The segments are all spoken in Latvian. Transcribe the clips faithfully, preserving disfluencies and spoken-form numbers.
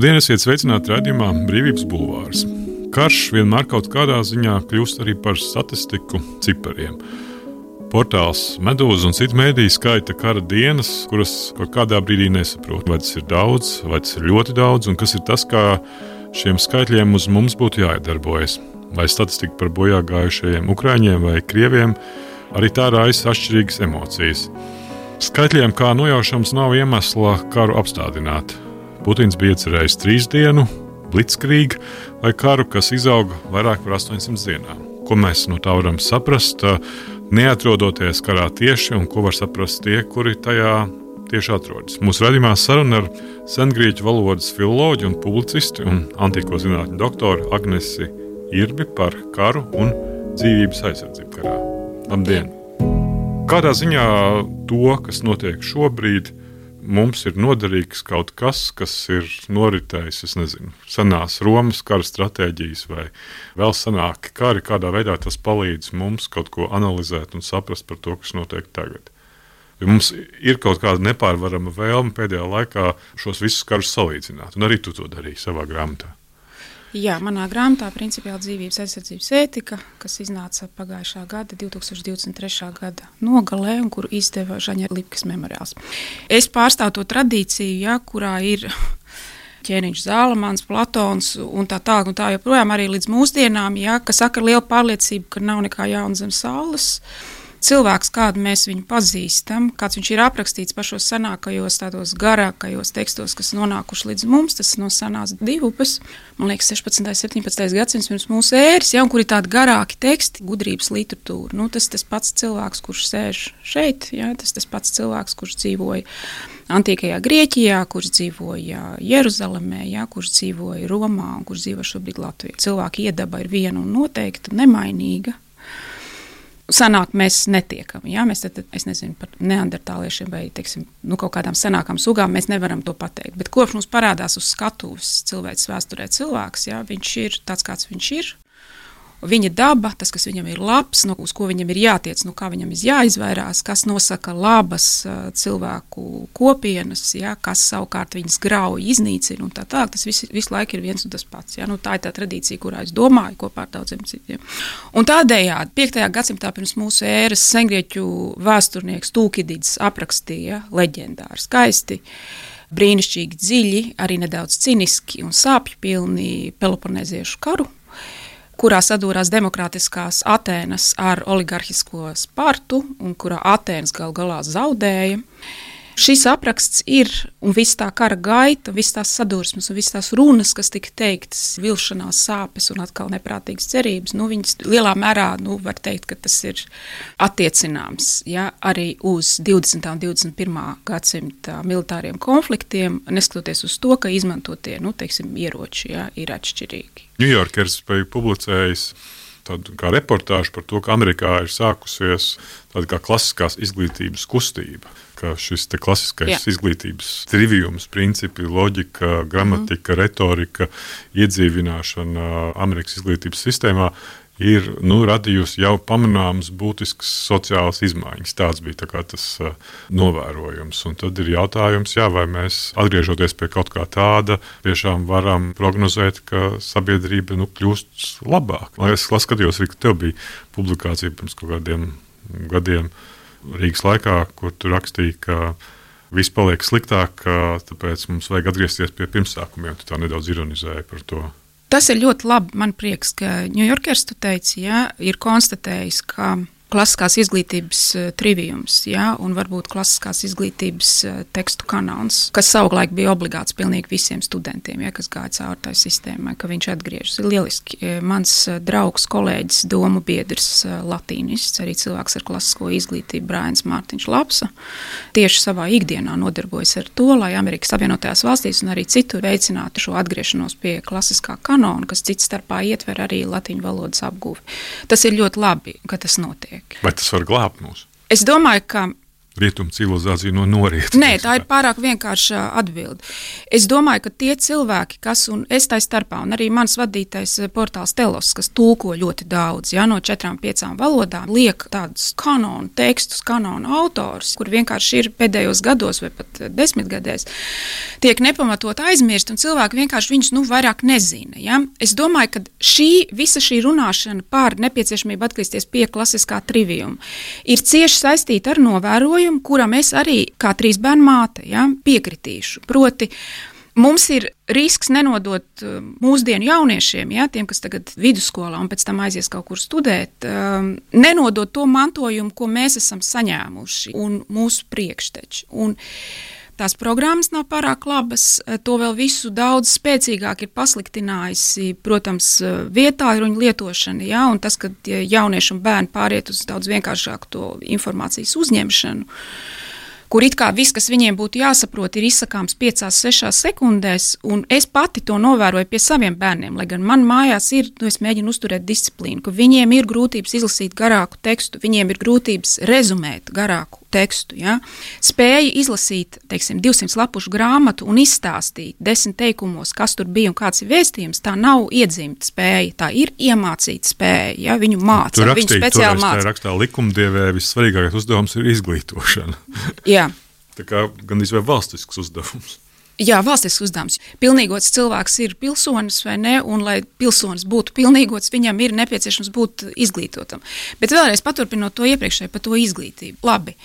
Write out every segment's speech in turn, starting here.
Labdien, esiet sveicināti raidījumā Brīvības bulvārs. Karš vienmēr kaut kādā ziņā kļūst arī par statistiku cipariem. Portāls Medūza un citu mēdīju skaita kara dienas, kuras kaut kādā brīdī nesaprot, vai tas ir daudz, vai tas ir ļoti daudz, un kas ir tas, kā šiem skaitļiem uz mums būtu jāiedarbojas. Vai statistika par bojā gājušajiem Ukraiņiem vai Krieviem, arī tā raisa atšķirīgas emocijas. Skaitļiem kā nojaušams nav iemesla karu apstādināt. Putins bija iecerējis trīs dienu, blitzkrieg, vai karu, kas izauga vairāk par astoņsimt dienām. Ko mēs no tā varam saprast, neatrodoties karā tieši, un ko var saprast tie, kuri tajā tieši atrodas. Mūsu raidījumā saruna ar sengrieķu valodas filoloģi un publicisti un antīko zinātņu doktoru Agnesi Irbi par karu un dzīvības aizsardzību karā. Labdien! Kādā ziņā to, kas notiek šobrīd, mums ir noderīgs kaut kas, kas ir noritējis, es nezinu, senās Romas kara stratēģijas vai vēl senāki kari, kādā veidā tas palīdz mums kaut ko analizēt un saprast par to, kas notiek tagad. Jo mums ir kaut kāda nepārvarama vēlme pēdējā laikā šos visus karus salīdzināt, un arī tu to darīji savā grāmatā. Jā, manā grāmatā principiāli dzīvības aizsardzības ētika, kas iznāca pagājušā gada, divs tūkstoši divdesmit trešā gada nogalē, un kuru izdeva Žaņa Lipkas memoriāls. Es pārstāvu to tradīciju, ja, kurā ir Ķēniņš, Zālamans, Platons un tā tā, un tā joprojām arī līdz mūsdienām, ja, kas saka ar lielu pārliecību, ka nav nekā jauna zem saules. Cilvēks, kādu mēs viņu pazīstam, kāds viņš ir aprakstīts pašos senākajos, tādos garākajos tekstos, kas nonākuši līdz mums, tas no senās divupes, man liekas, sešpadsmitais, septiņpadsmitais gadsimts pirms mūsu ēras, ja, un kur ir tādi garāki teksti, gudrības literatūra. Nu, tas tas pats cilvēks, kurš sēž šeit, ja, tas tas pats cilvēks, kurš dzīvoja antīkajā Grieķijā, kurš dzīvoja Jeruzalemē, ja, kurš dzīvoja Romā un kurš dzīvo šobrīd Latvijā. Cilvēka iedaba ir viena un noteikta, nemainīga. Senāk mēs netiekam, ja? Mēs tad, es nezinu, par neandertāliešiem vai, teiksim, nu, kaut kādām senākām sugām mēs nevaram to pateikt. Bet kopš mums parādās uz skatuves cilvēks vēsturē cilvēks, ja? Viņš ir tāds, kāds viņš ir. Viņa daba, tas, kas viņam ir labs, no, uz ko viņam ir jātiec, no kā viņam ir jāizvairās, kas nosaka labas uh, cilvēku kopienas, ja? Kas savukārt viņas grauj, iznīcina un tā tā. Tas visu, visu laiku ir viens un tas pats. Ja? Nu, tā ir tā tradīcija, kurā es domāju kopā ar daudziem citiem. Un tādējādi piektajā gadsimtā pirms mūsu ēras sengrieķu vēsturnieks Tūkididis aprakstīja leģendāri skaisti, brīnišķīgi dziļi, arī nedaudz ciniski un sāpju pilni Peloponēziešu karu, kurā sadūrās demokrātiskās Atēnas ar oligarhisko Spartu un kurā Atēnas gal galā zaudēja. Šis apraksts ir, un viss tā kara gaita, viss tās sadursmes un viss tās runas, kas tika teiktas, vilšanās, sāpes un atkal neprātīgas cerības, nu, viņas lielā mērā, nu, var teikt, ka tas ir attiecināms, ja, arī uz divdesmitā un divdesmit pirmā gadsimta militāriem konfliktiem, neskatoties uz to, ka izmantotie, nu, teiksim, ieroči, ja, ir atšķirīgi. New Yorkers bija publicējis tādu kā reportāžu par to, ka Amerikā ir sākusies tāda kā klasiskās izglītības kustība, ka šis te klasiskais Jā. izglītības trivijums, principi, loģika, gramatika, mm. retorika, iedzīvināšana Amerikas izglītības sistēmā ir, nu, radījusi jau pamanāmas būtiskas sociālas izmaiņas. Tāds bija tā kā tas uh, novērojums. Un tad ir jautājums, jā, vai mēs, atgriežoties pie kaut kā tāda, tiešām varam prognozēt, ka sabiedrība, nu, kļūst labāk. Es skatījos, ka tev bija publikācija pirms kaut kādiem gadiem Rīgas laikā, kur tu rakstīji, ka viss paliek sliktāk, tāpēc mums vajag atgriezties pie pirmsākumiem. Tu tā nedaudz ironizēji par to. Tas ir ļoti labi, man prieks, ka New Yorkers, tu teici, ja, ir konstatējis, ka klasiskās izglītības trivijums, ja, un varbūt klasiskās izglītības tekstu kanons, kas savulaik bija obligāts pilnīgi visiem studentiem, ja, kas gāja cauri tai sistēmai, ka viņš atgriežas. Ir lieliski. Mans draugs, kolēģis, domu biedrs, latīnists, arī cilvēks ar klasisko izglītību, Brains Mārtiņš Lapsa, tieši savā ikdienā nodarbojas ar to, lai Amerikas Savienotajās valstīs un arī citur veicinātu šo atgriešanos pie klasiskā kanona, kas cits starpā ietver arī latīņu valodas apguvi. Tas ir ļoti labi, ka tas notiek. Vai tas var glābt mūs? Es domāju, ka rietumu civilizācija no norieta? Nē, tā ir pārāk vienkārša atbilde. Es domāju, ka tie cilvēki, kas, un es tai starpā, un arī mans vadītais portāls Telos, kas tulko ļoti daudz, ja, no četrām, piecām valodām, liek tādus kanonu tekstus, kanonu autors, kur vienkārši ir pēdējos gados vai pat desmitgadēs, tiek nepamatot aizmirst, un cilvēki vienkārši viņus nu vairāk nezina. Ja. Es domāju, ka šī, visa šī runāšana par nepieciešamību atgriezties pie klasiskā triviuma ir cieši saistīta ar novērojumu, kuram es arī kā trīs bērnu māte ja, piekritīšu. Proti, mums ir risks nenodot mūsdienu jauniešiem, ja, tiem, kas tagad vidusskolā un pēc tam aizies kaut kur studēt, um, nenodot to mantojumu, ko mēs esam saņēmuši un mūsu priekšteči. Un tās programmas nav pārāk labas, to vēl visu daudz spēcīgāk ir pasliktinājusi, protams, vietāruņu lietošana, ja, un tas, ka jaunieši un bērni pāriet uz daudz vienkāršāku to informācijas uzņemšanu, kur it kā viss, kas viņiem būtu jāsaprot, ir izsakāms piecās, sešās sekundēs, un es pati to novēroju pie saviem bērniem, lai gan man mājās ir, nu, es mēģinu uzturēt disciplīnu, ka viņiem ir grūtības izlasīt garāku tekstu, viņiem ir grūtības rezumēt garāku tekstu, ja? Spēja izlasīt, teiksim, divsimt lapušu grāmatu un izstāstīt desmit teikumos, kas tur bija un kāds ir vēstījums, tā nav iedzimta spēja, tā ir iemācīta spēja, ja? Viņu māca, tu viņu speciāli māca. Tur rakstā likumdievē vissvarīgākais uzdevums ir izglītošana. Jā. Tā kā gandrīz vai valstisks uzdevums. Jā, valstisks uzdevums. Pilnīgots cilvēks ir pilsonis vai ne, un lai pilsonis būtu pilnīgots, viņam ir nepieciešams būt izglītotam. Bet vēlreiz paturpinot to iepriekšēju par to izglītību. Labi.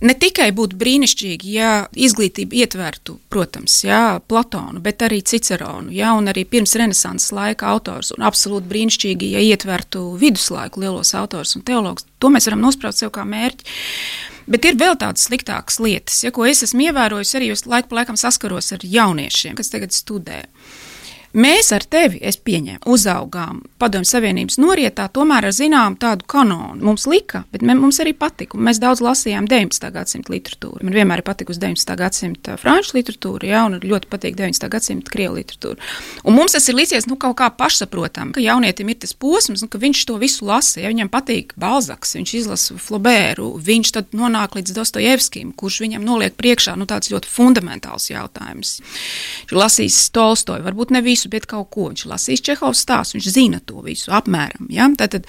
Ne tikai būtu brīnišķīgi, ja izglītība ietvertu, protams, jā, Platonu, bet arī Ciceronu, jā, un arī pirms renesanses laika autors, un absolūti brīnišķīgi, ja ietvertu viduslaiku lielos autors un teologus. To mēs varam nospraust sev kā mērķi. Bet ir vēl tādas sliktākas lietas, ja, ko es esmu ievērojusi arī, jo laiku pa laikam saskaros ar jauniešiem, kas tagad studē. Mēs ar tevi, es pieņēmu, uzaugām Padomju Savienības norietā, tomēr ar zinām tādu kanonu. Mums lika, bet mums arī patika. Mēs daudz lasījām deviņpadsmitā gadsimta literatūru. Man vienmēr ir patikusi deviņpadsmitā gadsimta franču literatūra, jā, un ļoti patīk deviņpadsmitā gadsimta krievu literatūra. Un mums tas ir līdzies, nu, kaut kā pašsaprotam, ka jaunietim ir tas posms, nu, ka viņš to visu lasa. Ja viņam patīk Balzaks, viņš izlasa Flaubertu, viņš tad nonāk līdz Dostojevskim, kurš viņam noliek priekšā, nu, tāds ļoti fundamentāls jautājums. Viņš lasīs Tolstoju, varbūt ne visu, bet kaut ko. Viņš lasīs Čehovs stāstu, viņš zina to visu apmēram. Ja? Tātad,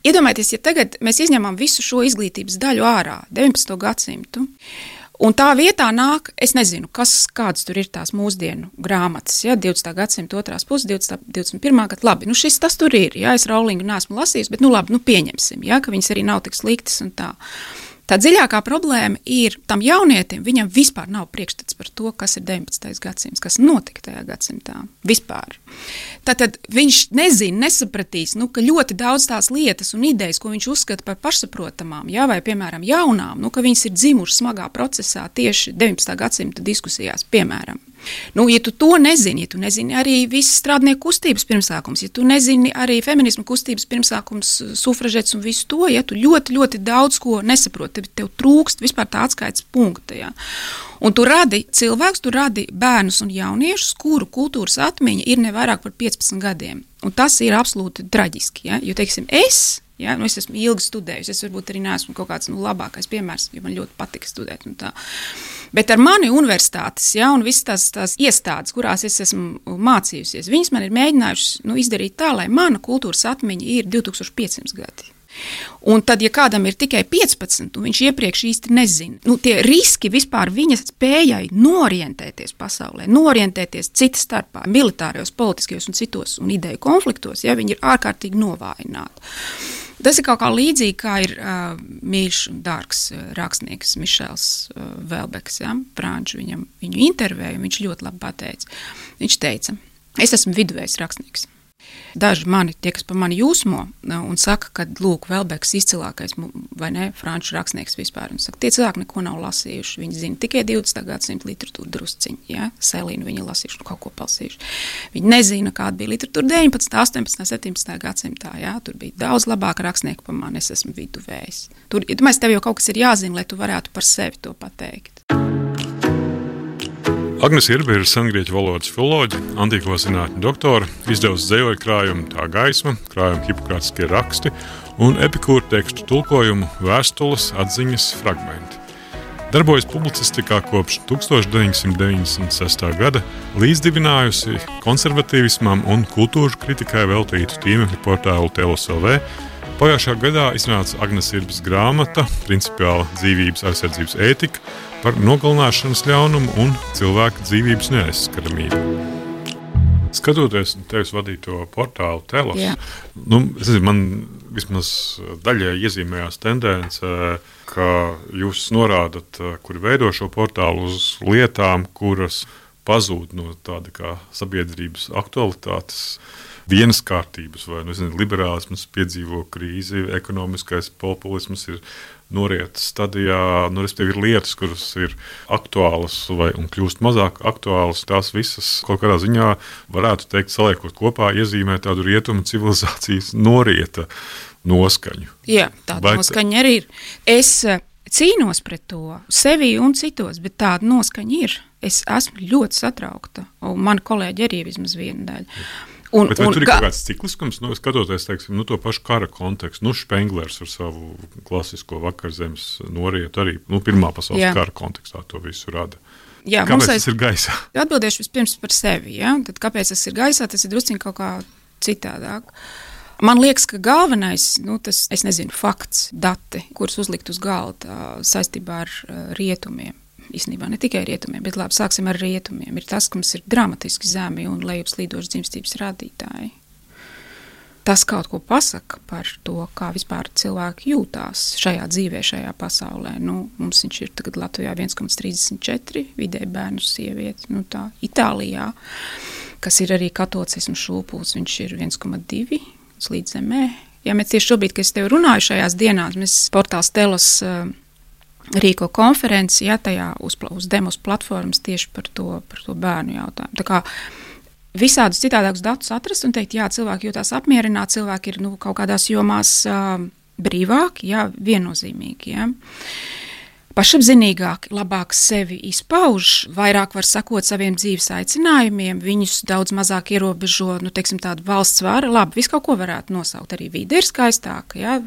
iedomājieties, ja tagad mēs izņemam visu šo izglītības daļu ārā, deviņpadsmito gadsimtu, un tā vietā nāk, es nezinu, kas, kādas tur ir tās mūsdienu grāmatas, ja? divdesmitā gadsimta otrās puses, divdesmit pirmā gada, labi, nu šis tas tur ir, ja? Es Rowlingu neesmu lasījis, bet nu labi, nu pieņemsim, ja? Ka viņas arī nav tik sliktas un tā. Tā dziļākā problēma ir tam jaunietim, viņam vispār nav priekšstats par to, kas ir deviņpadsmitais gadsimts, kas notika tajā gadsimtā. Vispār. Tātad viņš nezina, nesapratīs, nu, ka ļoti daudz tās lietas un idejas, ko viņš uzskata par pašsaprotamām, ja, vai, piemēram, jaunām, nu, ka viņas ir dzimušas smagā procesā tieši deviņpadsmitā gadsimta diskusijās, piemēram. Nu, ja tu to nezini, ja tu nezini arī visas strādnieku kustības pirmsākums, ja tu nezini arī feminismu kustības pirmsākums, sufražets un visu to, ja tu ļoti, ļoti daudz ko nesaproti, tev trūkst vispār tā atskaites punkta, ja. Un tu radi cilvēkus, tu radi bērnus un jauniešus, kuru kultūras atmiņa ir ne vairāk par piecpadsmit gadiem. Un tas ir absolūti traģiski, ja, jo, teiksim, es... Ja, nu es esmu ilgi studējusi, es varbūt arī neesmu kaut kāds nu, labākais piemērs, jo man ļoti patika studēt un tā. Bet ar mani universitātes, ja, un visas tās, tās iestādes, kurās es esmu mācījusies, viņas man ir mēģinājušas nu, izdarīt tā, lai mana kultūras atmiņa ir divi tūkstoši piecsimt gadi. Un tad, ja kādam ir tikai piecpadsmit, un viņš iepriekš īsti nezina, nu, tie riski vispār viņa spējai norientēties pasaulē, norientēties citas starpā, militārijos, politiskajos un citos un ideju konfliktos, ja, viņi ir ārkārtīgi novājināti. Tas ir kaut kā līdzīgi, kā ir uh, mīļš un dārgs uh, rakstnieks Mišels uh, Velbeks, ja, franču, viņam, viņu intervēju, viņš ļoti labi pateica. Viņš teica, es esmu viduvējs rakstnieks. Daži mani, tie, kas pa mani jūsmo, un saka, ka, lūk, Velbeks izcilākais, vai ne, franču rakstnieks vispār, un saka, tie cilvēki neko nav lasījuši, viņi zina tikai divdesmitā gadsimta literatūru drusciņi, ja, Selīnu viņi lasījuši, nu kaut ko palsījuši. Viņi nezina, kāda bija literatūra deviņpadsmitā, astoņpadsmitā, septiņpadsmitā gadsimtā, ja, tur bija daudz labāka rakstnieka pa mani, es esmu viduvējs. Tur, ja domāju, tev jau kaut kas ir jāzina, lai tu varētu par sevi to pateikt. Agnes Irbe ir sengrieķu valodas filoloģe, antīko zinātņu doktora, izdevusi dzejoļu krājumu Tā gaisma, krājumu Hipokratiskie raksti un Epikūra tekstu tulkojumu Vēstules atziņas fragmenti. Darbojas publicistikā kopš tuksstoš deviņsimt deviņdesmit sestā gada, līdzdibinājusi konservatīvismam un kultūras kritikai veltītu tīmekļa portālu Telos L V. Pagājušā gadā iznāca Agnes Irbes grāmata Principiāla dzīvības aizsardzības ētika par nogalināšanas ļaunumu un cilvēka dzīvības neaizskaramību. Skatoties tevis vadīto portālu Telos, Jā. nu, es nezinu, man vismaz daļai iezīmējās tendence, ka jūs norādat, kuri veido šo portālu uz lietām, kuras pazūd no tāda kā sabiedrības aktualitātes, vienas kārtības vai, nu, nezinu, liberālisms piedzīvo krīzi, ekonomiskais populisms ir noriet stadijā, nu, respektīvi ir lietas, kuras ir aktuālas vai un kļūst mazāk aktuālas, tās visas kaut kādā ziņā varētu teikt, saliekot kopā, iezīmē tādu rietumu civilizācijas norieta noskaņu. Jā, tāda vai noskaņa arī ir. Es cīnos pret to sevi un citos, bet tāda noskaņa ir. Es esmu ļoti satraukta, un mani kolēģi arī vismaz viena daļa. Un, bet vai un, tur ir kā... kaut kāds cikliskums, nu, skatoties, teiksim, nu, to pašu kara kontekstu, nu, Špenglers ar savu klasisko vakarzemes norietu arī, nu, Pirmā pasaules Jā. Kara kontekstā to visu rada. Jā, kāpēc aiz... tas ir gaisā? Atbildēšu vispirms par sevi, ja? Tad kāpēc tas ir gaisā, tas ir drusciņ kaut kā citādāk. Man liekas, ka galvenais, nu, tas, es nezinu, fakts, dati, kurus uzlikt uz galda saistībā ar rietumiem, īstenībā ne tikai rietumiem, bet labi, sāksim ar rietumiem, ir tas, ka mums ir dramatiski zemi un lejupslīdoši dzimstības rādītāji. Tas kaut ko pasaka par to, kā vispār cilvēki jūtās šajā dzīvē, šajā pasaulē. Nu, mums viņš ir tagad Latvijā viens komats trīsdesmit četri, vidēji bērnu sievieti, nu tā, Itālijā, kas ir arī katolicismu šūpuls, viņš ir viens komats divi līdz zemē. Ja mēs tieši šobrīd, kad es tev runāju šajās dienās, mēs portāls Telos uh, rīko konferenci, ja, tajā uz, uz demos platformas tieši par to, par to bērnu jautājumu. Tā kā visādus citādākus datus atrast un teikt, jā, cilvēki jūtās apmierināti, cilvēki ir, nu, kaut kādās jomās uh, brīvāki, jā, viennozīmīgi, jā. Pašapzinīgāki, labāk sevi izpauž, vairāk var sakot saviem dzīves aicinājumiem, viņus daudz mazāk ierobežo, nu, teiksim, tādu valsts vara, labi, visu kaut ko varētu nosaukt, arī vide ir skaistāka, jā,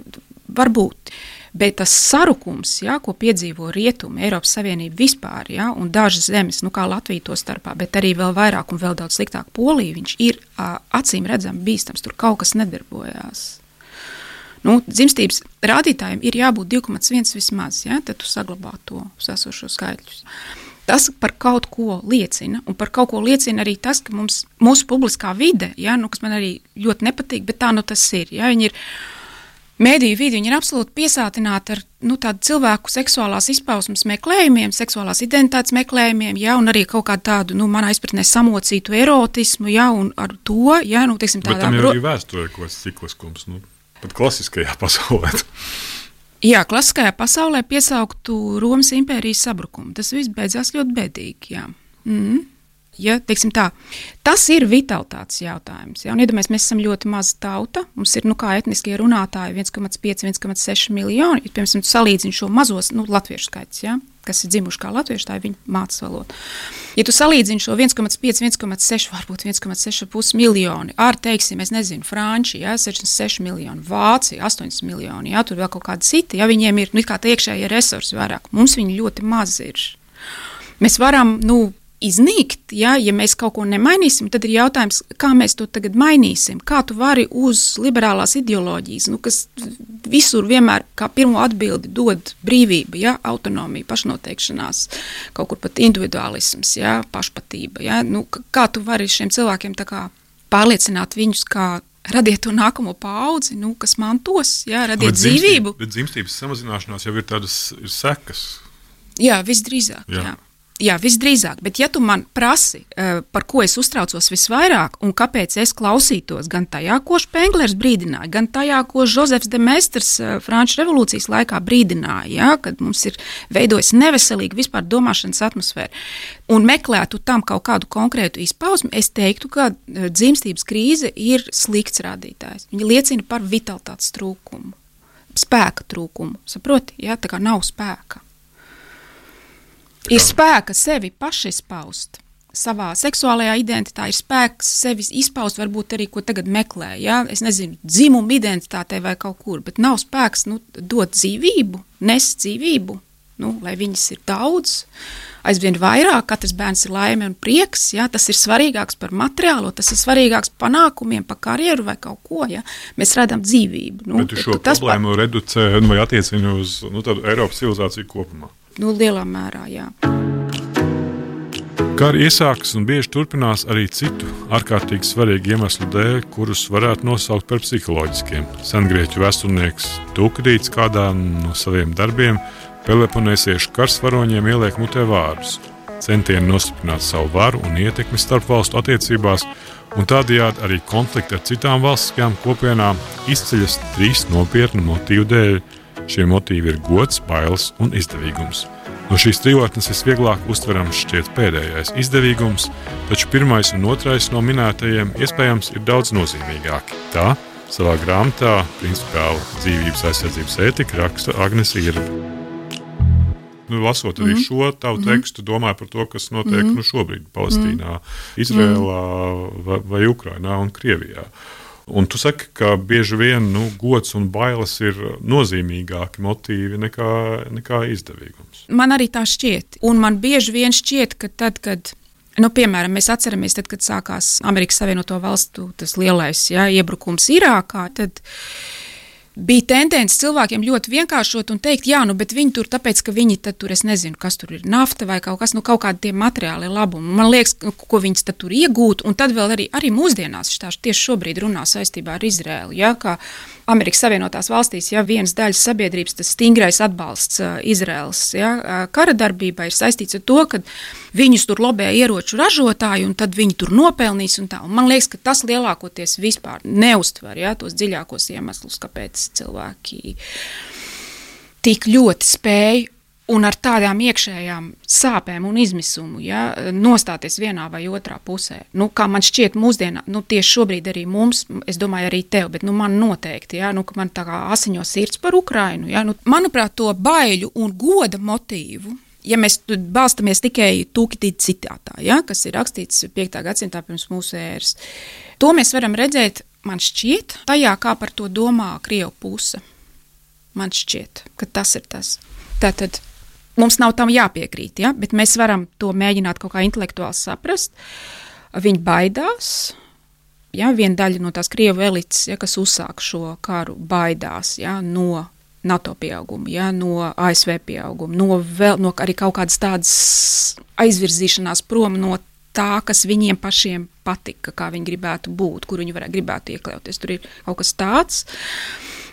varbūt. Bet tas sarukums, ja, ko piedzīvo rietumi, Eiropas Savienība vispār, ja, un dažas zemes, nu kā Latvija to starpā, bet arī vēl vairāk un vēl daudz sliktāk Polija, viņš ir a, acīm redzami bīstams, tur kaut kas nedarbojās. Nu, dzimstības rādītājiem ir jābūt divi komats viens vismaz, ja, tad tu saglabā to esošo skaitļus. Tas par kaut ko liecina, un par kaut ko liecina arī tas, ka mums, mūsu publiskā vide, ja, nu, kas man arī ļoti nepatīk, bet tā nu tas ir, ja, viņi ir Mēdīju vidi, viņi ir absolūti piesātināti ar, nu, tādu cilvēku seksuālās izpausmes meklējumiem, seksuālās identitātes meklējumiem, ja, un arī kaut kādu tādu, nu, manā izpratnē samocītu erotismu, ja, un ar to, ja, nu, teiksim, tādā... Bet tam jau ir vēsturē kaut kāds cikliskums, nu, pat klasiskajā pasaulē. Jā, klasiskajā pasaulē piesauktu Romas impērijas sabrukumu. Tas viss beidzās ļoti bēdīgi, jā. Mm. Ja, teiksim tā, tas ir vitalitātes jautājums. Ja, un iedomājies, mēs esam ļoti maza tauta, mums ir, nu kā etniskie runātāji viens komats pieci, viens komats seši miljoni, ja, piemēram, tu salīdzini šo mazos, nu, latviešu skaits, ja, kas ir dzimuši kā latvieši, tā ir viņa mācas valoda. Ja tu salīdzini šo viens komats pieci, viens komats seši, varbūt viens komats seši miljoni, ar, teiksim, es nezinu, Franči, ja, sešdesmit seši miljoni, Vācija, astoņdesmit miljoni, ja, tur vēl kaut kādi citi, ja, viņiem ir, nu, kā tā iekšējie resursi vairāk, mums viņi ļoti maz ir. Mēs varam, nu, iznīkt, ja, ja mēs kaut ko nemainīsim, tad ir jautājums, kā mēs to tagad mainīsim, kā tu vari uz liberālās ideoloģijas, nu, kas visur vienmēr kā pirmo atbildi dod brīvība, ja, autonomija, pašnoteikšanās, kaut kur pat individualisms, ja, pašpatība, ja, nu, kā tu vari šiem cilvēkiem tā kā pārliecināt viņus, kā radiet to nākamo paudzi, nu, kas mantos, ja, radiet bet dzīvību. Dzimstības, bet dzimstības samazināšanās jau ir tādas ir sekas. Jā, visdrīzāk, jā. jā. Jā, visdrīzāk, bet ja tu man prasi, par ko es uztraucos visvairāk un kāpēc es klausītos gan tajā, ko Špenglers brīdināja, gan tajā, ko Žozefs de Meisters Franču revolūcijas laikā brīdināja, ja, kad mums ir veidojis neveselīgi vispār domāšanas atmosfēra, un meklētu tam kaut kādu konkrētu izpausmi, es teiktu, ka dzimstības krīze ir slikts rādītājs. Viņa liecina par vitalitātes trūkumu, spēka trūkumu, saproti, ja, tā kā nav spēka. Ir spēka sevi pašizpaust, savā seksuālajā identitātē ir spēks sevi izpaust, varbūt arī, ko tagad meklē, ja? Es nezinu, dzimumu identitātē vai kaut kur, bet nav spēks, nu, dot dzīvību, nes dzīvību, nu, lai viņas ir daudz, aizvien vairāk, katrs bērns ir laime un prieks, ja, tas ir svarīgāks par materiālo, tas ir svarīgāks panākumiem, par karjeru vai kaut ko, ja, mēs redzam dzīvību. Nu, bet tu šo problēmu par... reducē vai attiecini uz nu, tādu Eiropas civilizāciju kopumā? Nu, lielā mērā, jā. Kari iesākas un bieži turpinās arī citu ārkārtīgi svarīgu iemeslu dēļ, kurus varētu nosaukt par psiholoģiskiem. Sengrieķu vēsturnieks Tukidīds kādā no saviem darbiem peloponesiešu karsvaroņiem ieliek mutē vārdus. Centieni nostiprināt savu varu un ietekmi starp valstu attiecībās, un tādējādi arī konflikti ar citām valstiskajām kopienām izceļas trīs nopietnu motīvu dēļ. Šie motīvi ir gods, bailes un izdevīgums. No šīs trijotnes visvieglāk uztverams šķiet pēdējais izdevīgums, taču pirmais un otrais no minētajiem iespējams ir daudz nozīmīgāki. Tā savā grāmatā principiāli dzīvības aizsardzības ētika raksta Agnese Irbe. Nu, lasot arī mm-hmm. šo tavu tekstu, domāju par to, kas notiek mm-hmm. nu, šobrīd Palestīnā, Izrēlā vai, vai Ukrainā un Krievijā. Un tu saki, ka bieži vien nu, gods un bailes ir nozīmīgāki motīvi nekā, nekā izdevīgums. Man arī tā šķiet. Un man bieži vien šķiet, ka tad, kad, nu, piemēram, mēs atceramies, tad, kad sākās Amerikas Savienoto Valstu tas lielais ja, iebrukums Irākā, tad bija tendence cilvēkiem ļoti vienkāršot un teikt, jā, nu, bet viņi tur tāpēc, ka viņi tad tur, es nezinu, kas tur ir, nafta vai kaut kas, nu, kaut kādi tie materiāli labumi. Man liekas, ko viņas tad tur iegūt, un tad vēl arī, arī mūsdienās, štāši tieši šobrīd runā saistībā ar Izrēlu, ja, kā Amerikas Savienotās valstīs, ja vienas daļas sabiedrības, tas stingrais atbalsts uh, Izrēlas, ja, uh, kara darbībā ir saistīts ar to, ka viņus tur lobē ieroču ražotāji, un tad viņi tur nopelnīs un tā. Un man liekas, ka tas lielākoties vispār neuztver, ja, tos dziļākos iemeslus, kāpēc cilvēki tik ļoti spēj un ar tādām iekšējām sāpēm un izmisumu, ja, nostāties vienā vai otrā pusē. Nu, kā man šķiet mūsdienā, nu, tieši šobrīd arī mums, es domāju arī tev, bet nu, man noteikti, ja, nu, ka man tā kā asiņo sirds par Ukrainu. Ja, nu, manuprāt, to baiļu un goda motīvu, ja mēs balstamies tikai Tukidīda citātā, ja, kas ir rakstīts piektā gadsimtā pirms mūsu ēras, to mēs varam redzēt, man šķiet, tajā, kā par to domā Krievu puse. Man šķiet, ka tas ir tas. Tātad mums nav tam jāpiekrīt, ja? Bet mēs varam to mēģināt kaut kā intelektuāli saprast. Viņi baidās, ja? Viena daļa no tās Krievu elites, ja, kas uzsāk šo karu, baidās, ja, no NATO pieauguma, ja, no A S V pieauguma, no, vēl, no arī kaut kādas tādas aizvirzīšanās prom no tā, kas viņiem pašiem patika, kā viņi gribētu būt, kur viņi varētu gribētu iekļauties. Tur ir kaut kas tāds,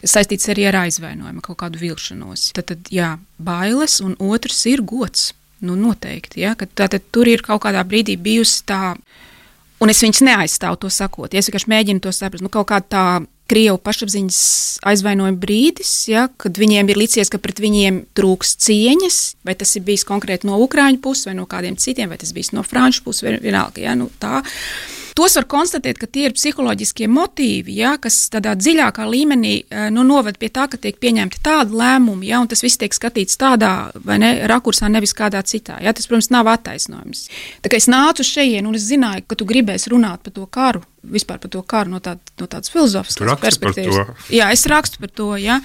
saistīts arī ar aizvainojumu, kaut kādu vilšanos. Tad, tad jā, bailes, un otrs ir gods. Nu, noteikti, ja, ka tātad tur ir kaut kādā brīdī bijusi tā, un es viņus neaizstāvu to sakot, ja es vienkārši mēģinu to saprast, nu, kaut kā tā Krievu pašapziņas aizvainojuma brīdis, ja, kad viņiem ir licies, ka pret viņiem trūks cieņas, vai tas ir bijis konkrēti no Ukraiņu puses, vai no kādiem citiem, vai tas bijis no Franču puses, vienalga, ja, nu, tā. Tos var konstatēt, ka tie ir psiholoģiskie motīvi, ja, kas tādā dziļākā līmenī nu, noved pie tā, ka tiek pieņemti tādi lēmumi, ja, un tas viss tiek skatīts tādā vai ne, rakursā, nevis kādā citā. Ja, tas, protams, nav attaisnojums. Tā kā es nācu šeit, un es zināju, ka tu gribēsi runāt par to karu, vispār par to karu no, tā, no tādas filozofiskas perspektīvas. Jā, es rakstu par to, ja.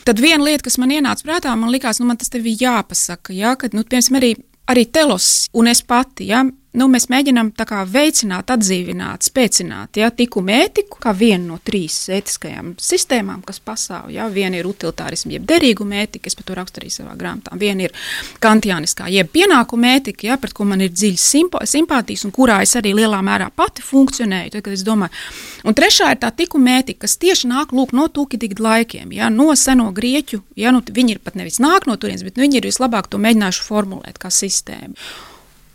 Tad viena lieta, kas man ienāca prātā, man likās, nu man tas tev jāpasaka, ja, kad, nu, piemēram, arī, arī Telos un es pati, ja, nu, mēs mēģinām tā kā veicināt, atdzīvināt, spēcināt, ja, tikumu ētiku, kā vienu no trīs ētiskajām sistēmām, kas pastāv, ja, viena ir utilitārismu, jeb derīguma ētika, es par to rakstu arī savā grāmatā, viena ir kantiāniskā, jeb pienākuma ētika, ja, pret ko man ir dziļas simpātijas, un kurā es arī lielā mērā pati funkcionēju, tad, kad es domāju. Un trešā ir tā tikuma ētika, kas tieši nāk, lūk, no Tukidīda laikiem, ja, no seno grieķu, ja, nu, viņi ir pat nevis nāk no turienes, bet nu, viņi ir vislabāk to mēģinājuši formulēt kā sistēmu.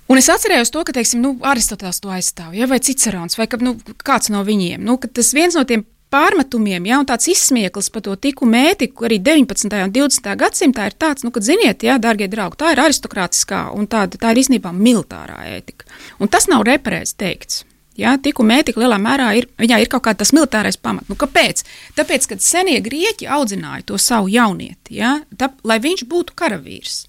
Un es atcerējos to, ka, teiksim, nu, Aristoteles to aizstāv, ja, vai Cicerons, vai ka, nu, kāds no viņiem. Nu, ka tas viens no tiem pārmetumiem, ja, un tāds izsmieklis par to tikumu ētiku arī deviņpadsmitajā un divdesmitajā gadsimtā ir tāds, nu, kad ziniet, ja, dārgie draugi, tā ir aristokrātiskā un tāda, tā ir īstenībā militārā ētika. Un tas nav reparēts teikts. Ja, tikuma ētika lielā mērā ir, viņā ir kaut kā tas militārais pamats. Nu, kāpēc? Tāpēc, kad senie grieķi audzināja to savu jaunieti, ja, tā, lai viņš būtu karavīrs.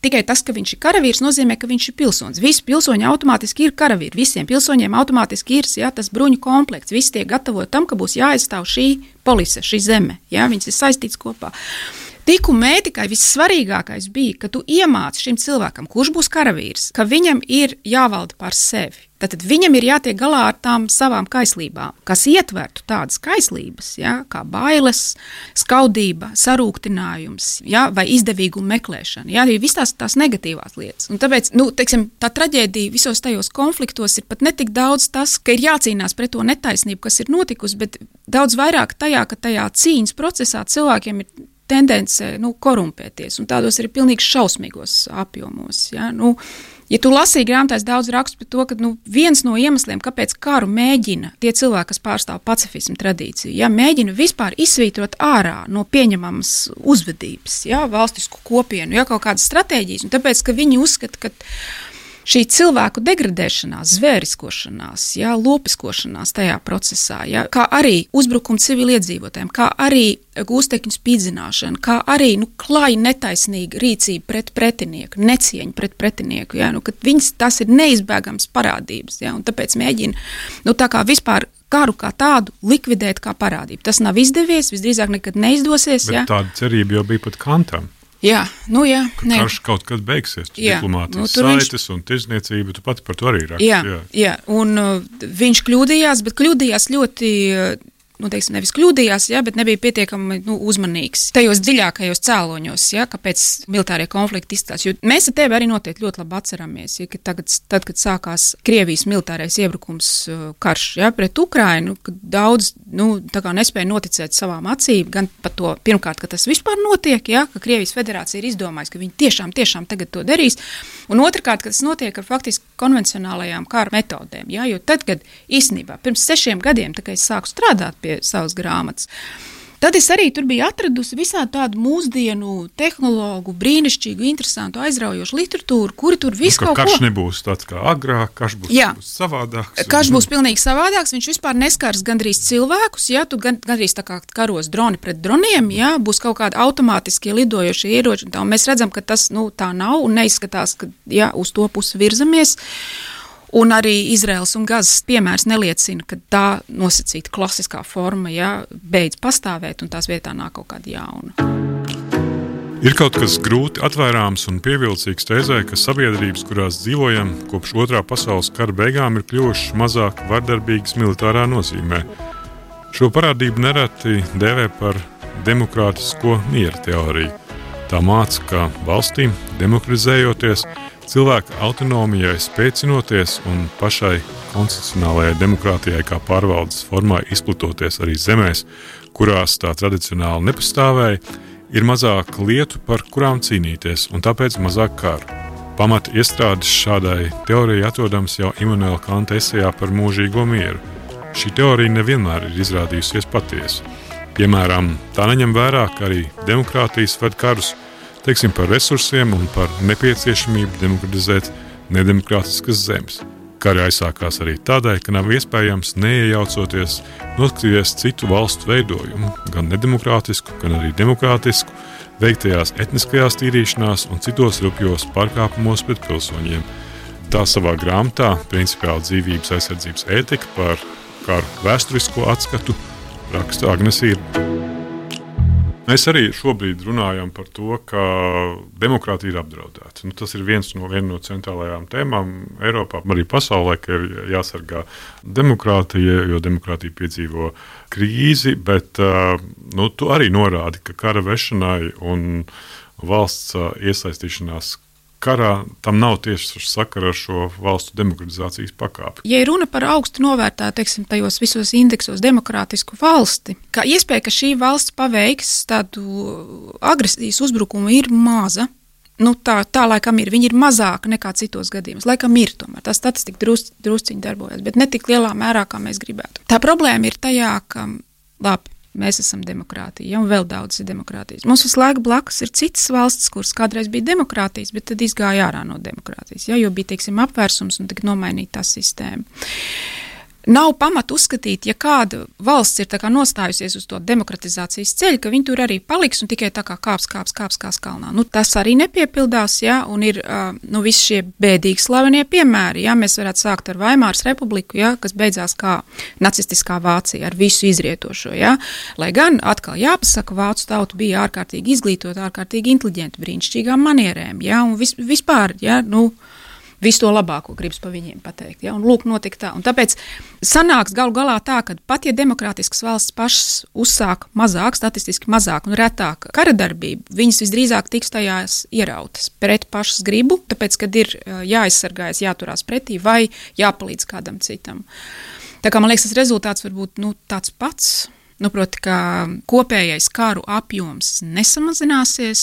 Tikai tas, ka viņš ir karavīrs, nozīmē, ka viņš ir pilsonis. Visi pilsoņi automātiski ir karavīri. Visiem pilsoņiem automātiski ir ja, tas bruņu komplekts. Visi tiek gatavoti tam, ka būs jāaizstāv šī polise, šī zeme. Ja, viņas ir saistīts kopā. Tikumē tikai vissvarīgākais bija, ka tu iemāci šim cilvēkam, kurš būs karavīrs, ka viņam ir jāvalda pār sevi. Tātad viņam ir jātiek galā ar tām savām kaislībām, kas ietvertu tādas kaislības, ja, kā bailes, skaudība, sarūktinājums, ja, vai izdevīguma meklēšana, ja, visas tās, tās negatīvās lietas. Un tāpēc, nu, teiksim, tā traģēdija visos tajos konfliktos ir pat ne tik daudz tas, ka ir jācīnās pret to netaisnību, kas ir notikusi, bet daudz vairāk tajā, ka tajā cīņas procesā cilvēkiem ir tendence, nu, korumpēties, un tādos ir pilnīgi šausmīgos apjomos, ja, nu, ja tu lasīji grāmatās daudz rakstu par to, ka nu, viens no iemesliem, kāpēc karu mēģina tie cilvēki, kas pārstāv pacifismu tradīciju, ja, mēģina vispār izsvītrot ārā no pieņemamas uzvedības, ja, valstisku kopienu, ja, kaut kādas stratēģijas, un tāpēc, ka viņi uzskata, ka šī cilvēku degradēšanās, zvēriskošanās, ja, lopiskošanās tajā procesā, ja, kā arī uzbrukumi civiliedzīvotājiem, kā arī gūstekņu spīdzināšana, kā arī nu, klāja netaisnīga rīcība pret pretinieku, necieņa pret pretinieku, ja, nu, kad viņas tas ir neizbēgams parādības, ja, un tāpēc mēģina, nu, tā kā vispār karu kā tādu likvidēt kā parādību. Tas nav izdevies, visdrīzāk nekad neizdosies. Bet ja. Tāda cerība jau bija pat Kantam. Jā, nu jā. Ne. Karš kaut kad beigsies, jā, diplomātijas nu, saites viņš... un tirzniecība, tu pati par to arī raksti. Jā, jā. jā, un uh, viņš kļūdījās, bet kļūdījās ļoti, uh, nu teiksim, nevis kļūdījās, jā, bet nebija pietiekami nu, uzmanīgs tajos dziļākajos cēloņos, jā, kāpēc militārie konflikti izstās. Jo mēs ar tevi arī noteikti ļoti labi atceramies, ja, ka tagad, tad, kad sākās Krievijas militārais iebrukums uh, karš, jā, pret Ukrainu, kad daudz, nu, tā kā nespēja noticēt savām acīm, gan par to, pirmkārt, ka tas vispār notiek, jā, ka Krievijas federācija ir izdomājusi, ka viņi tiešām, tiešām tagad to darīs, un otrkārt, ka tas notiek ar faktiski konvencionālajām kara metodēm, jā, jo tad, kad īstenībā pirms sešiem gadiem, tā kā es sāku strādāt pie savas grāmatas, tad es arī tur biju atradusi visādi tādu mūsdienu tehnologu, brīnišķīgu, interesantu, aizraujošu literatūru, kuri tur visu nu, kaut ko... Karš nebūs tāds kā agrāk, karš būs, būs savādāks. Karš būs pilnīgi savādāks, viņš vispār neskars gandrīz cilvēkus, ja, tu gan, gandrīz tā kā karos droni pret droniem, ja, būs kaut kādi automātiskie lidojošie ieroči, un tā, un mēs redzam, ka tas, nu, tā nav, un neizskatās, ka, ja, uz to pusi virzamies. Un arī Izraels un Gazas piemērs neliecina, ka tā nosacīta klasiskā forma, ja, beidz pastāvēt un tās vietā nāk kaut kāda jauna. Ir kaut kas grūti atvērāms un pievilcīgs tēzē, ka sabiedrības, kurās dzīvojam, kopš otrā pasaules kara beigām ir kļuvušas mazāk vardarbīgas militārā nozīmē. Šo parādību nereti dēvē par demokrātisko miera teoriju. Tā māca, ka valstīm, demokratizējoties, cilvēka autonomijai spēcinoties un pašai konstitucionālajai demokrātijai kā pārvaldes formai izplatoties arī zemēs, kurās tā tradicionāli nepastāvēja, ir mazāk lietu, par kurām cīnīties, un tāpēc mazāk karu. Pamata iestrādes šādai teorijai atrodams jau Immanuela Kanta esejā par mūžīgo mieru. Šī teorija nevienmēr ir izrādījusies patiesa. Piemēram, tā neņem vērā, ka arī demokrātijas ved karus, teiksim, par resursiem un par nepieciešamību demokratizēt nedemokrātiskas zemes. Kari aizsākās arī tādēļ, ka nav iespējams neiejaucoties noskatīties citu valstu veidojumu, gan nedemokrātisku, gan arī demokrātisku, veiktajās etniskajās tīrīšanās un citos rupjos pārkāpumos pret pilsoņiem. Tā savā grāmatā Principiāla dzīvības aizsardzības ētika par karu vēsturisko atskatu raksta Agnese Irba. Mēs arī šobrīd runājam par to, ka demokrātija ir apdraudēta. Nu, tas ir viens no, viena no centrālajām tēmām Eiropā, arī pasaulē, ka ir jāsargā demokrātija, jo demokrātija piedzīvo krīzi, bet nu, tu arī norādi, ka kara vešanai un valsts iesaistīšanās karā tam nav tieši sakara ar šo valstu demokratizācijas pakāpi. Ja runa par augstu novērtētu, teiksim, tajos visos indeksos demokrātisku valsti, kā iespēja, ka šī valsts paveiks tādu agresijas uzbrukumu ir maza, nu tā, tā laikam ir, viņi ir mazāka nekā citos gadījumos, laikam ir tomēr, tā statistika drus, drusciņi darbojas, bet ne tik lielā mērā, kā mēs gribētu. Tā problēma ir tajā, ka, labi, mēs esam demokrātija, ja, un vēl daudz ir demokrātijas. Mums visu laiku blakus ir citas valstis, kuras kādreiz bija demokrātijas, bet tad izgāja ārā no demokrātijas, ja, jo bija, teiksim, apvērsums un tagad nomainīta tā sistēma. Nav pamata uzskatīt, ja kāda valsts ir tā kā nostājusies uz to demokratizācijas ceļu, ka viņi tur arī paliks un tikai tā kā kāps, kāps, kāps, kāps kalnā. Nu, tas arī nepiepildās, jā, un ir nu, visi šie bēdīgi slavenie piemēri. Jā, mēs varētu sākt ar Vaimāras republiku, jā, kas beidzās kā nacistiskā Vācija ar visu izrietošo. Jā. Lai gan atkal jāpasaka, vācu tauta bija ārkārtīgi izglītota, ārkārtīgi inteliģenta, brīnišķīgām manierēm, jā, un vis, vispār, jā, nu, visu to labāko gribas pa viņiem pateikt. Ja? Un lūk, notika tā. Un tāpēc sanāks galu galā tā, ka pat ja demokrātiskas valsts pašas uzsāk mazāk, statistiski mazāk un retāk karadarbību, viņas visdrīzāk tiks tajās ierautas pret pašas gribu, tāpēc, kad ir jāaizsargājas, jāturās pretī vai jāpalīdz kādam citam. Tā kā man liekas, tas rezultāts var būt nu, tāds pats. Nu, proti, ka kopējais karu apjoms nesamazināsies.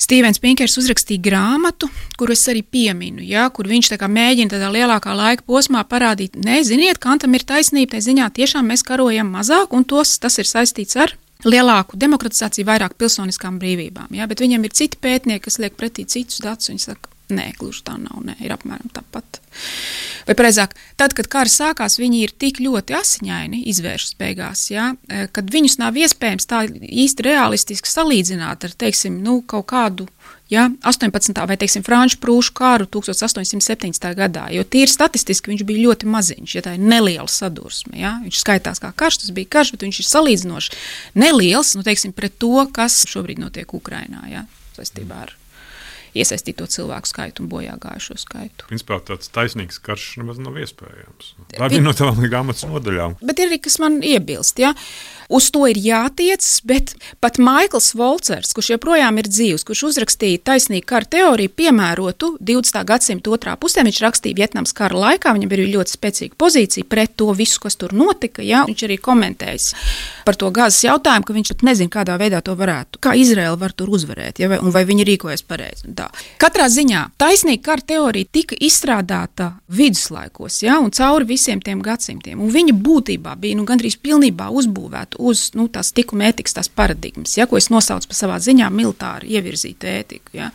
Stīvens Pinkers uzrakstīja grāmatu, kuru es arī pieminu, ja, kur viņš tā kā mēģina tādā lielākā laika posmā parādīt, ne, ziniet, Kantam ir taisnība, tai ziņā tiešām mēs karojam mazāk, un tos, tas ir saistīts ar lielāku demokratizāciju, vairāk pilsoniskām brīvībām. Ja, bet viņam ir citi pētnieki, kas liek pretī citus datus, viņi saka, nē, gluži tā nav, nē, ir apmēram tāpat. Vai precīzāk, tad, kad kara sākās, viņi ir tik ļoti asiņaini izvēršas beigās, ja, kad viņus nav iespējams tā īsti realistiski salīdzināt ar, teiksim, nu, kaut kādu, ja, astoņpadsmitā vai, teiksim, franču prūšu kāru tukstovs astoņsimt septiņdesmitā gadā, jo tīri statistiski viņš bija ļoti maziņš, ja tā ir neliela sadursme, ja, viņš skaitās kā karš, tas bija karš, bet viņš ir salīdzinoši neliels, nu, teiksim, pret to, kas šobrīd notiek Ukrainā, ja, saistībā ar iesaistīto cilvēku skaitu un bojā gājušo skaitu. Principā tāds taisnīgs karš nemaz nav iespējams. Tā ir no tām grāmatas nodaļām. Bet ir arī, kas man iebilst, ja? Uz to ir jātiec, bet pat Maikls Volcers, kurš joprojām ir dzīvs, kurš uzrakstīja taisnīgu kara teoriju, piemērotu divdesmitā gadsimta otrā pusē, viņš rakstīja Vietnamas kara laikā, viņam bija ļoti spēcīga pozīcija pret to visu, kas tur notika, ja? Viņš arī komentējis par to Gazas jautājumu, ka viņš pat nezina, kādā veidā to varētu, kā Izraela var tur uzvarēt, ja? Un vai viņi rīkojas pareizi. Tā. Katrā ziņā taisnīga kara teorija tika izstrādāta viduslaikos, ja? Un cauri visiem tiem gadsimtiem, un viņa būtībā bija nu, gandrīz pilnībā uzbūvēta uz nu, tās tikuma ētikas, tās paradigmas, ja, ko es nosaucu par savā ziņā militāri ievirzītu ētiku. Ja.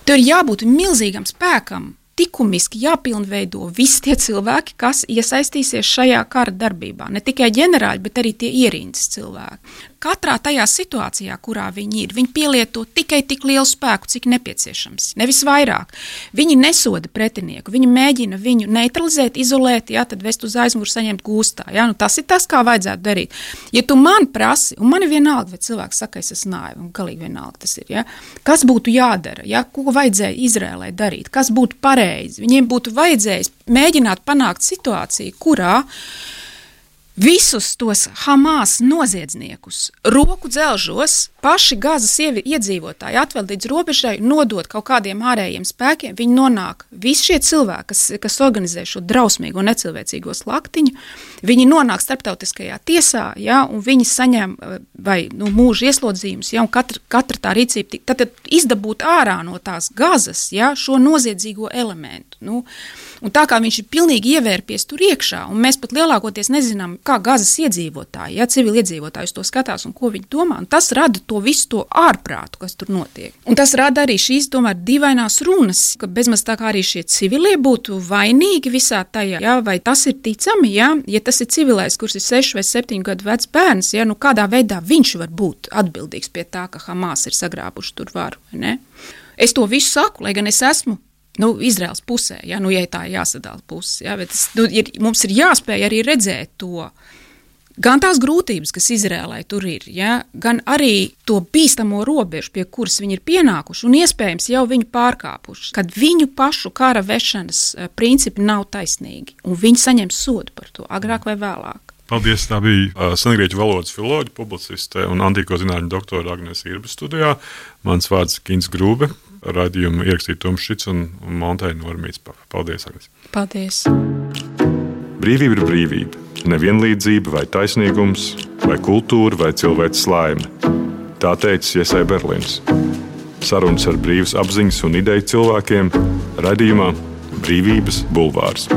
Tur ir jābūt milzīgam spēkam, likumiski jāpilnveido visi tie cilvēki, kas iesaistīsies šajā kara darbībā. Ne tikai ģenerāļi, bet arī tie ierindas cilvēki. Katrā tajā situācijā, kurā viņi ir, viņi pielieto tikai tik lielu spēku, cik nepieciešams, nevis vairāk. Viņi nesoda pretinieku, viņi mēģina viņu neutralizēt, izolēt, jā, tad vest uz aizmuguri, saņemt gūstā. Jā, nu tas ir tas, kā vajadzētu darīt. Ja tu man prasi, un man ir vienalga, vai cilvēks saka, es esmu naiva, un galīgi vienalga tas ir, jā, kas būtu jādara, jā, ko vajadzēja Izrēlai darīt, kas būtu pareizi. Viņiem būtu vajadzējis mēģināt panākt situāciju, kurā visus tos Hamas noziedzniekus roku dzelžos paši Gazas iedzīvotāji atvēl līdz robežai, nodot kaut kādiem ārējiem spēkiem, viņi nonāk, visi šie cilvēki, kas, kas organizē šo drausmīgo necilvēcīgo slaktiņu, viņi nonāk starptautiskajā tiesā, ja, un viņi saņem vai nu, mūža ieslodzījumus, ja, un katra, katra tā rīcība, tad, tad izdabūt ārā no tās Gazas, ja, šo noziedzīgo elementu. Nu, un tā kā viņš ir pilnīgi ievērpies tur iekšā, un mēs pat lielākoties nezinām, kā Gazas iedzīvotāji, ja, civili iedzīvotāji to skatās un ko viņi domā, un tas rada to visu to ārprātu, kas tur notiek. Un tas rada arī šīs, tomēr, dīvainās runas, ka bezmaz tā kā arī šie civilie būtu vainīgi visā tajā, ja, vai tas ir ticami, ja, ja tas ir civilais, kurš ir sešu vai septiņu gadu vecs bērns, ja, nu kādā veidā viņš var būt atbildīgs pie tā, ka Hamas ir sagrābuši tur varu, vai ne? Es to visu saku, lai gan es esmu nu, Izraels pusē, ja, nu, ja tā ir jāsadala puses, ja, bet tas, nu, ir, mums ir jāspēj arī redzēt to, gan tās grūtības, kas Izrēlai tur ir, ja, gan arī to bīstamo robežu, pie kuras viņi ir pienākuši un iespējams jau viņu pārkāpuši, kad viņu pašu kara vešanas principi nav taisnīgi un viņi saņem sodu par to, agrāk vai vēlāk. Paldies, tā bija uh, sengrieķu valodas filoloģa, publiciste un antīko zinātņu doktora Agnese Irba studijā. Mans vārds Kins Grūbe, raidījumu ierakstīja Toms Šits un, un montēja Normīts. Paldies, Agnese. Paldies. Brīvība ir brīvība. Nevienlīdzība vai taisnīgums, vai kultūra, vai cilvēks laime. Tā teica Jesai Berlins. Sarunas ar brīvas apziņas un ideju cilvēkiem raidījumā Brīvības bulvārs.